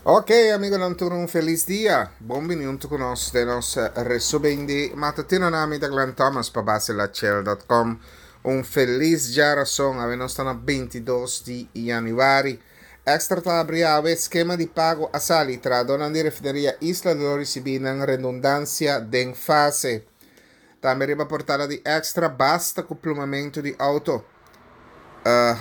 Ok amigonan tur un felis dia. Bon bini hunto ku nos den nos resumen di matutino na mi ta Glenn Thomas pa baselachel.com. Un felis djarason. Awe nos ta na 22 di januari. Extra ta abri awe skema di pago a sali. Trahadónan di refineria Isla lo risibí nan redundansia den fase. Tambe riba portada di Extra basta ku plumamentu di outo.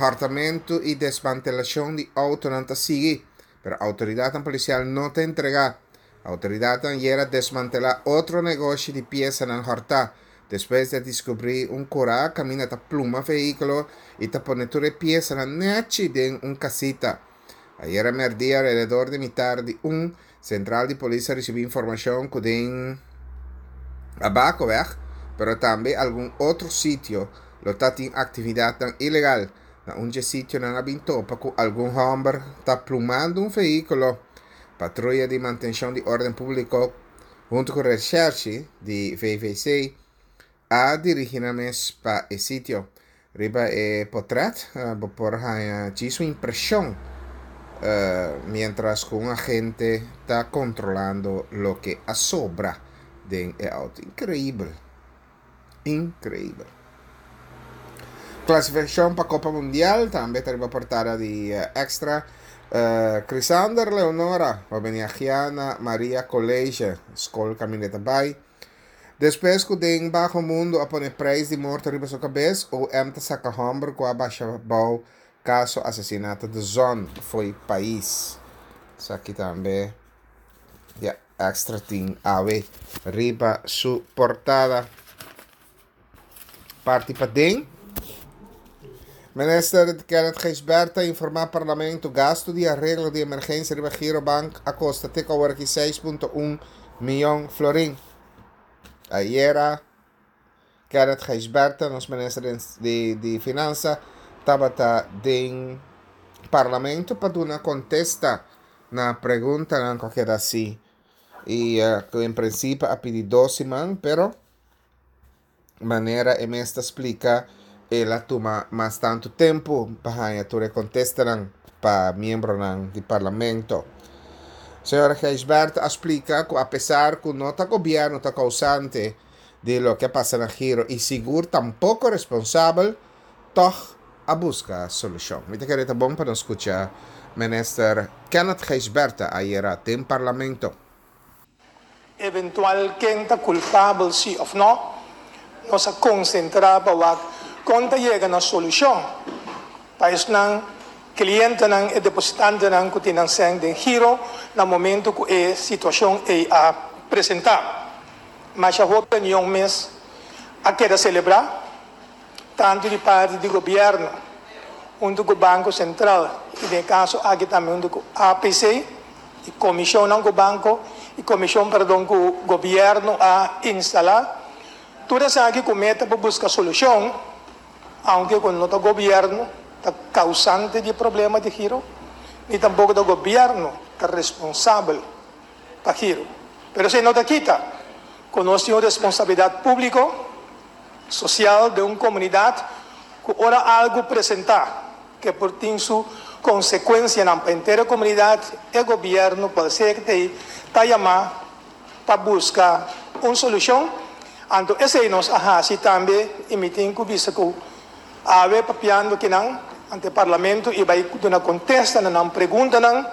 Hòrtamentu i desmantelashon di outonan ta sigui, pero outoridatnan polisial no ta entregá. Outoridatnan ayera desmantelá otro negoshi di piesanan hòrtá, despues di a diskubrí un kurá kaminda ta pluma vehíkulo i ta pone tur e piesanan nèchi den un kasita. Ayera mèrdia alrededor di mitar di un, sentral di polis a risibí informashon ku den Abakoweg, pero tambe algun otro sitio, lo ta tin aktividatnan ilegal. Na un dje sitionan a bin topa ku algun hòmber ta plumando un vehíkulo. Patruya di Mantenshon di Órden Públiko huntu ku Reshèrshi di VVC a dirigí nan mes pa e sitio. Riba e potrèt bo por haña djis un impreshon miéntras ku un agente ta kontrolando loke a sobra den e outo. Inkreibel! Inkreibel! Klasifikashon pa Kopa Mundial tambe ta riba portada di Extra. Chrisander Leonora pa bini agia na Maria College, skol kaminda e ta bai. Despues ku den baho mundu a pone preis di morto riba su kabes, OM ta saka hòmber ku a basha bou kaso asesinato de Zon fo'i pais. Esaki tambe ya Extra tin awe riba su portada. Parti paden. Minister Kenneth Gijsbert ta informa Parlamento gasto di areglo di emergencia riba Girobank a costa te cu awor aki 6.1 miyon florin. Ayera Kenneth Gijsbertha, nos minister di, di Finanza, tabata den Parlamento pa duna contesta na preguntanan cu a keda haci y cu en principio a pidi dos siman, pero Manera e mes ta splika, el a tuma mas tantu tempu pa haña tur e kontestanan pa miembronan di parlamento. Señor Gijsbertha a splika ku apesar ku no ta gobièrnu ta kousante di loke a pasa na Giro i sigur tampoko responsabel, tòg a buska solushon. Mi ta kere ta bon pa nos skucha Minister Kenneth Gijsbertha ayera den parlamento. Eventual ken ta kulpabel si òf nò, nos a konsentrá pa wak kon ta yega na solushon pa esnan klientenan e depositantenan ku tin nan sèn den giro na momentu ku e situashon ei a presentá. Masha hopi reunion mes a keda selebrá. Tantu di parti di gobièrnu huntu ku Banko Sentral i den e kaso aki tambe huntu ku APC i komishonnan ku banko i komishon perdon ku gobièrnu a instalá. Tur esaki ku meta pa buska solushon, aunke ku no ta gobièrnu ta kausante di e problema di giro ni tampoko ta gobièrnu ta responsabel pa giro. Pero esei no ta kita ku nos tin un responsabilidat públiko. Sosial den un komunidat ku ora algu presentá ke por tin su konsekuensianan pa henter e komunidat, e gobièrnu kual sea ke ta ei ta yamá pa buska un solushon. Anto esei nos a hasi tambe i mi tin ku bisa ku awe papiando kinan ante e parlamento i bai duna kontesta na nan preguntanan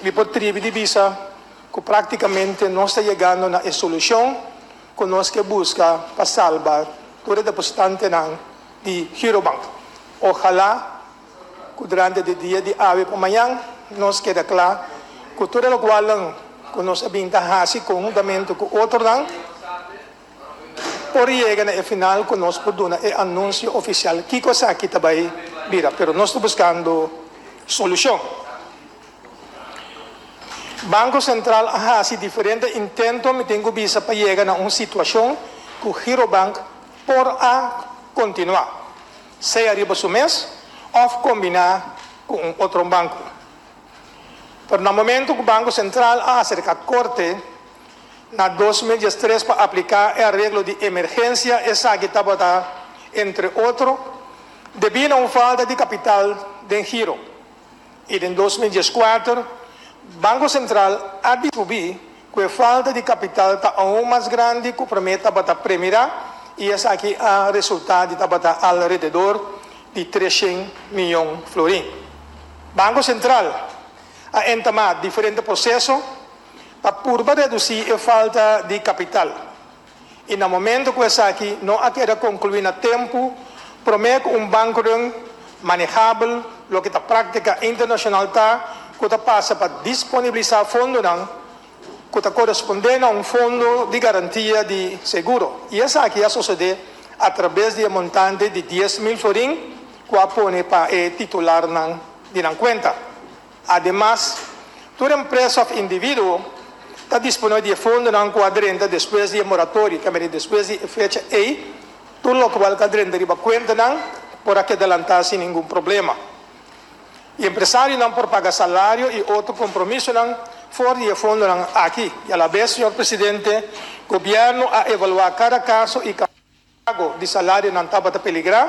mi por tribi di bisa ku praktikamente nos ta yegando na e solushon. ku nos ke buska pa salba tur e depositantenan di Girobank. Ojalá ku durante di dia di awe pa mañan nos keda kla ku tur e lokualnan ku nos a bin ta hasi konhuntamente ku otronan por yega na e final ku nos por duna e anunsio ofisial kiko esaki ta bai bira. Pero nos ta buskando solushon. Banko Sentral a hasi diferente intento, mi tin ku bisa, pa yega na un situashon ku Girobank por a kontinuá, sea riba su mes òf kombiná ku un otro banko. Pero na momento ku Banko Sentral a aserká korte na 2013 pa apliká e areglo di emergensia, esaki tabata entre otro debí na un falta di kapital den Giro. I den 2014. Banko Sentral a descubrí ku e falta di kapital ta aun mas grandi ku promé tabata premirá i esaki a resultá di tabata alrededor di 300 miyon florin. Banko Sentral a entamá diferente proseso pa purba redusí e falta di kapital i na momento ku esaki no a keda konkluí na tempu promé ku un bankrun manehabel, loke ta práktika internashonal ta ku ta pasa pa disponibilisá fondonan ku ta korespondé na un fondo di garantia di seguro i esaki a sosodé atrabes di e montante di 10,000 florin ku a pone pa e titularnan di nan kuenta. Ademas, tur empresa òf individuo ta disponé di e fondonan ku a drenta despues di e moratorio, ke mester despues di e fecha ei, tur lokual ku a drenta riba kuentanan por a keda lantá sin ningun problema. E empresarionan por paga salario i otro kompromisonan for di e fondonan aki. I alabes, señor presidente, gobièrnu a evaluá kada kaso i pago di salarionan tabata peligrá,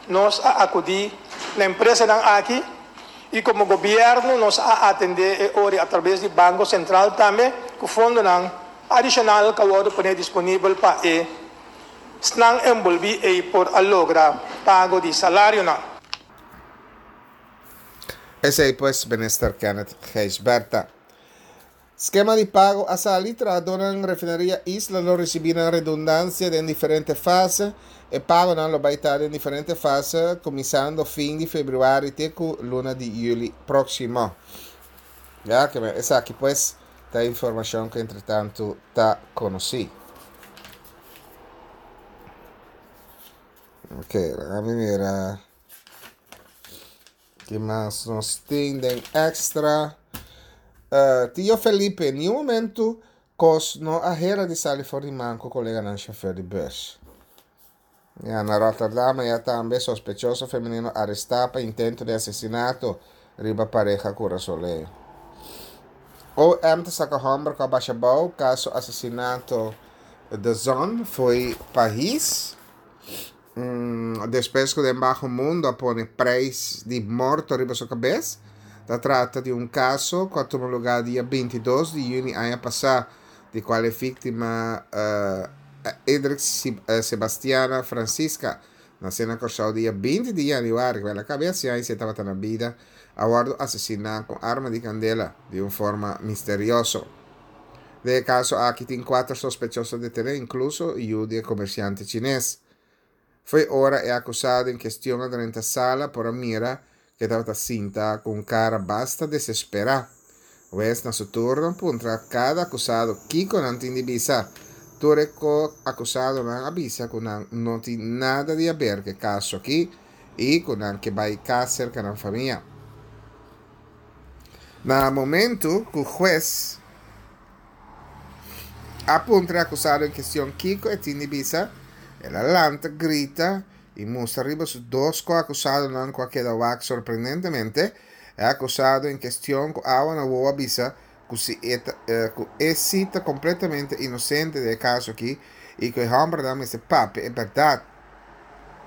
nos a akudí na empresanan aki i komo gobièrnu nos a atendé e ori atrabes di Banko Sentral tambe ku fondonan adishonal ku a wòrdu poné disponibel pa e snan enbolbí ei por a logra pago di salarionan. Esei pues Minister Kenneth Gijsbertha. Skema di pago a sali, trahadónan Refineria Isla lo risibí nan redundansia den diferente fase. E pagonan lo bai ta den diferente fase, kuminsando fin di febrüari te ku luna di yüli próksimo. Ya ke esaki pues ta informashon ku entretantu ta konosí. Ok, laga mi mira. Ki mas nos tin den extra? Tio Felipe, ni un momento kos no a hera di sali for di man ku koleganan shofèr di bus. Ya, na Rotterdam aya tambe sospechoso femenino arestá pa intento di asesinato riba pareha kurasoleño. OM ta saka hòmber ku a basha bou kaso asesinato De Zon fo'i pais. Despues ku den baho mundo a pone preis di morto riba su kabes. Ta trata di un kaso ku a tuma lugá dia 22 di yüni aña pasá, di kual e víktima Edrick Sebastiana Francisca, nasé na Kòrsou dia 20 di yanüari, ku el a kab'é hasi aña si e tabata na bida, a wòrdu asesiná ku arma di kandela di un forma misterioso. Den e kaso aki tin kuater sospechoso detené, inkluso yu di e komersiante chines. Fo'i ora e akusado en kestion a drenta sala por a mira ku e tabata sinta ku un kara basta desesperá. Wes na su turno puntra kada akusado kiko nan tin di bisa. Tur e ko-akusadonan a bisa ku nan no tin nada di aber ku e kaso aki i ku nan ke bai kas serka nan famia. Na momentu ku hues a puntra e akusado en kestion kiko e tin di bisa, el a lanta grita i mustra riba su dos ko-akusadonan ku a keda wak sorprendentemente. E akusado en kestion ku awa na wowo a bisa ku si e ta ku e si ta kompletamente inosente den e kaso aki i ku e hòmbernan mester papia e bèrdat.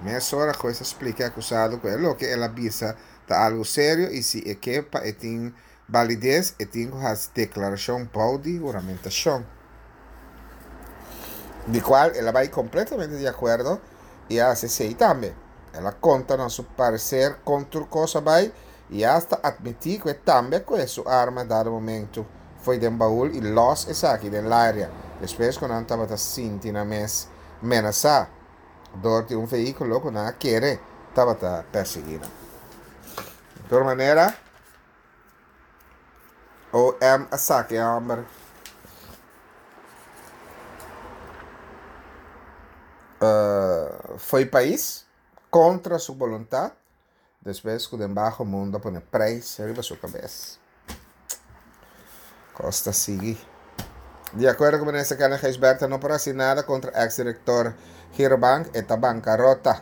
Mesora hues a splika e akusado ku e loke el a bisa ta algu serio i si e ke pa e tin balides e tin ku hasi deklarashon bou di huramentashon, di kual el a bai kompletamente di akuerdo i a hasi esei tambe. El a konta na su pareser kon tur kos a bai i asta atmití ku e tambe a kohe su arma dado momentu fo'i den baul i lòs esaki den laria despues ku nan tabata sinti nan mes menasá dor di un vehíkulo ku nan a kere tabata persiguí nan. Di tur manera, OM a saka e hòmber fo'i pais kontra su boluntat despues ku den baho mundo a pone preis riba su kabes. Kos ta sigui. Di akuerdo ku Minister Kenneth Gijsbertha no por hasi nada kontra eks direktor Girobank, e ta bankarota.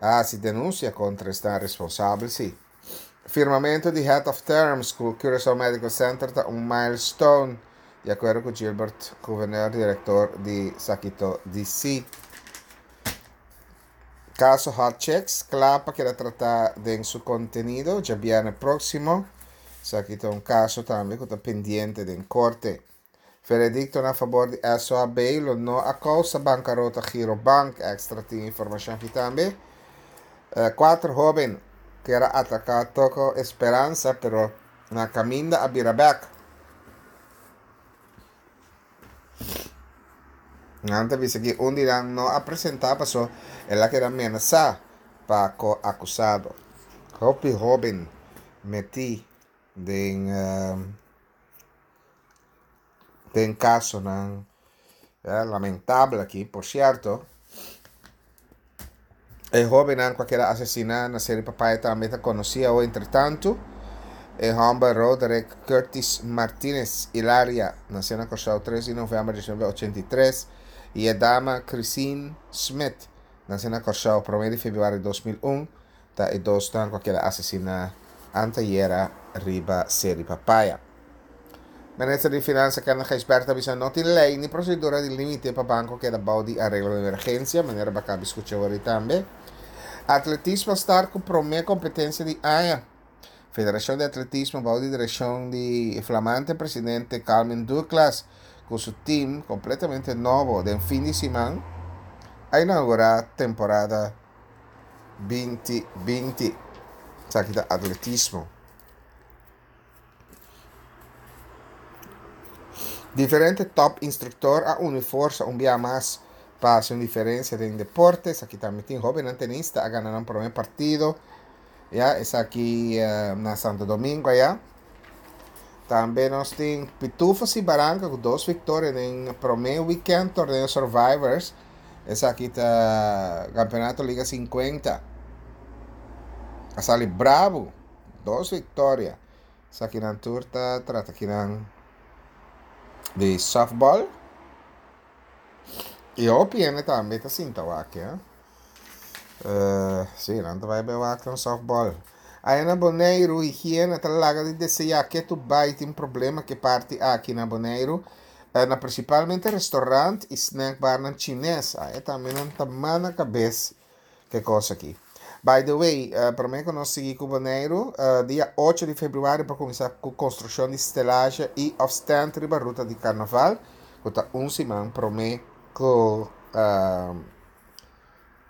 A hasi denunsia kontra esnan responsabel si. Firmamentu di Head of Terms ku Curaçao Medical Center ta un milestone, di akuerdo ku Gilbert Gouverneur, direktor di Sakito DC. Kaso Hot Chicks kla pa keda tratá den su kontenido djabièrnè próksimo. Esaki ta un kaso tambe ku ta pendiente den korte. Veredikto na fabor di SOAB lo no a kousa bankarota Girobank, Extra tin informashon aki tambe. Kuater hóben kier a ataká Toko Esperanza pero na kaminda a bira bèk. Nan ta bisa ki un di nan no a presentá paso el a keda menasá pa ko-akusado. Hopi hóben metí den den kasonan lamentabel aki. Por sierto, e hóbennan ku a keda asesiná na Seri Papaya tambe ta konosí awo. Entretantu, e hòmber Roderick Curtis Martinez Ilaria, nasé na Kòrsou tres di novèmber 1983, i e dama Chrisine Smith, nasé na Kòrsou promé di febrüari 2001, Ta e dosnan ku a keda asesiná antayera riba Seri Papaya. Minister di Finansa Kenneth Gijsbertha a bisa no tin lei ni prosedura di límite pa banko keda bou di areglo di emergensia, manera bo a kaba di skucha awor tambe. Atletismo a start ku promé kompetensia di aña. Federashon di Atletismo bou di direkshon di flamante presidente Calvin Douglas ku su tim kompletamente nobo den fin di siman a inaugurá temporada 2020. Esaki ta atletismo. Diferente top instructor a uni forsa un bia mas pa haci un diferencia den deporte. Esaki tambe tin hobennan tenista a gana nan prome partido. Ya, esaki na Santo Domingo aya. Tambe nos tin Pitufos y Baranka cu dos victoria den prome weekend torneo Survivors. Esaki ta Campeonato Liga 50. A sali bravo. Dos victoria. Esaki nan tur ta trata kinan di softball. Y hopi hende tambe ta sinta wak, ya. Si, nan ta bai bai wak nan softball. Aya na Boneiru, higiena ta laga di deseá ketu bai tin problema ke parti aki na Boneiru. Na prinsipalmente restaurant i snackbarnan chines. Aya tambe nan ta mana kabes ke kos aki. By the way, promé ku nos sigui ku Boneiru, dia ocho di febrüari por kuminsá ku konstrukshon di stelazje i òf stand riba ruta di karnaval, ku ta un siman promé ku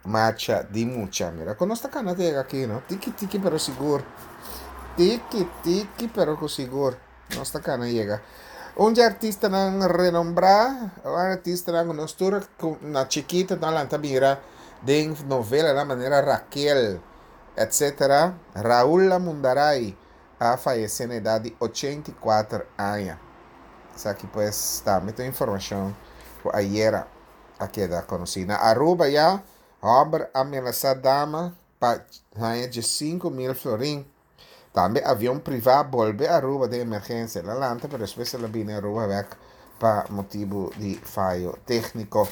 Marcha di mucha. Mira ku nos ta kana yega aki no. Tiki tiki pero sigur. Tiki tiki pero ku sigur. Nos ta kana yega. Un di artistanan renombrá, un artistanan ku nos tur na chikito ta lanta mira den novelanan manera Raquel, etcetera. Raul Amundaray a fayesé na edat di 84 aña. Esaki pues tambe ta un informashon ku ayera a keda konosí. Na Aruba ya hòmber a menasá dama pa haña 15,000 florin. Tambe avion privá bolbe Aruba den emergensia. El a lanta pero despues el a bini Aruba bèk pa motibu di fayo tékniko.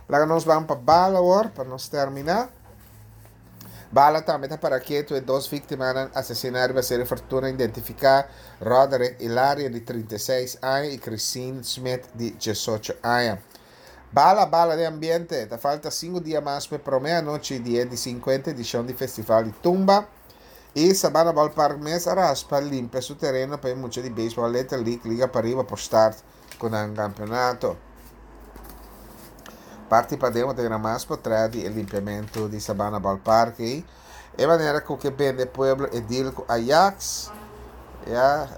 Laga nos ban pa bala awor pa nos terminá. Bala tambe ta para ketu e dos víktimanan asesiná riba Serie Fortuna identifiká, Roderick Ilaria di 36 aña i Christine Smith di 18 aña. Bala bala den ambiente, ta falta sinku dia mas pa e promé anochi di e di 50 edishon di Festival di Tumba i Sabana Ballpark mes a raspa limpia su tereno pa e mucha di beisbòl Little League Liga Pariba por start ku nan kampeonato. Parti paden bo ta mira mas potrèt di e limpiamentu di Sabana Ballpark ei. E manera ku ke bende pueblo e deal ku Ajax, ya,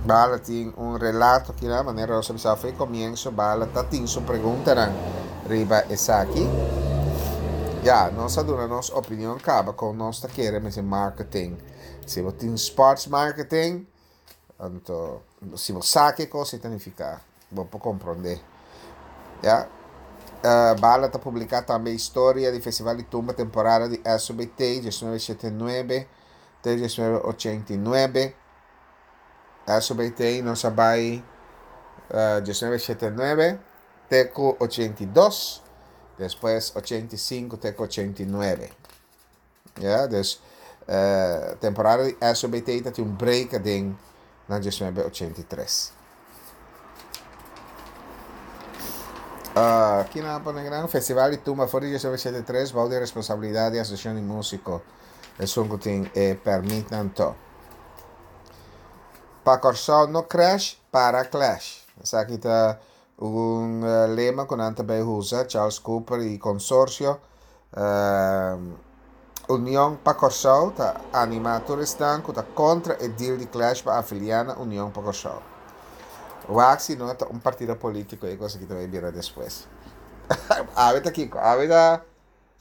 Bala tin un relato aki nan, manera nos a bisa for e komienso, Bala ta tin su preguntanan riba esaki. Ya, nos a duna nos opinion kaba kon nos ta kere mester marketing. Si bo tin sports marketing, anto si bo sa ke kos e ta nifiká, bo por komprondé. Ya. Bala ta publiká tambe historia di Festival di Tumba temporada di SOBT 1979 te 1989. SOBT nos a bai 1979 te ku 82, despues 85 te ku 89. Ya, dus temporada di SOBT ta tin un break aden na 1983. Uh, kina a pone gran? Festival di Tumba for di 1983 bou di responsabilidad di Asociacion di Musico. esun ku tin e pèrmitnan to. Pa Kòrsou no crash, para clash. Esaki ta un lema ku nan ta bai usa, Charles Cooper i konsorsio. Union pa Kòrsou ta animá tur esnan ku ta kontra e deal di clash pa afiliá na Union pa Kòrsou. Wak si no ta un partido polítiko e kos aki ta bai bira despues. Awe ta kiko? Awe ta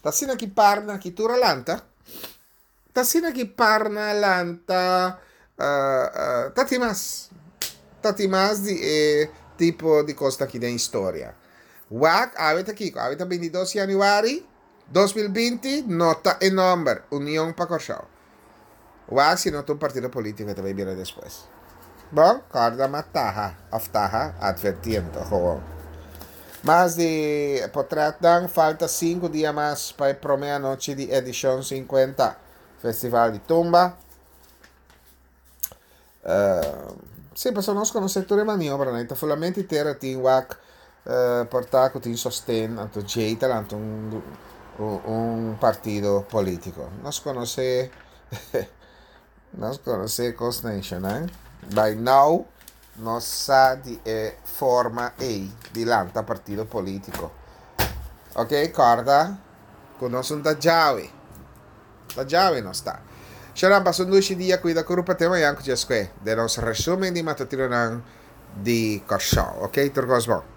ta asina ki parna ki tur a lanta. Ta asina ki parna a lanta ta tin mas. Ta tin mas di e tipo di kos aki den historia. Wak awe ta kiko? Awe ta 22 januari. 2020 no ta e nomber Union pa Kòrsou. Wak si no ta un partido politico e ta bay bira despues. Bon, kòrda ma taha of taha advertiendo gewoon. Mas di potretnan falta sinku dia mas pa e prome anochi di edishon 50 Festival di Tumba. Sí, pasobra nos konosé tur e maniobranan. I ta fulamente tera tin wak por ta ku tin sosten, anto djei ta lanta un un partido polítiko. Nos konosé nos konosé kosnan eshonan. By now nos sa di e forma ei di lanta partido polítiko. Oke, kòrda ku nos un ta djawe. Ta djawe nos ta. Sharon pasa un dushi dia cuida curpa te mañan cu dje sque den nos resumen di matutinonan di Corsou ok tur cos bon.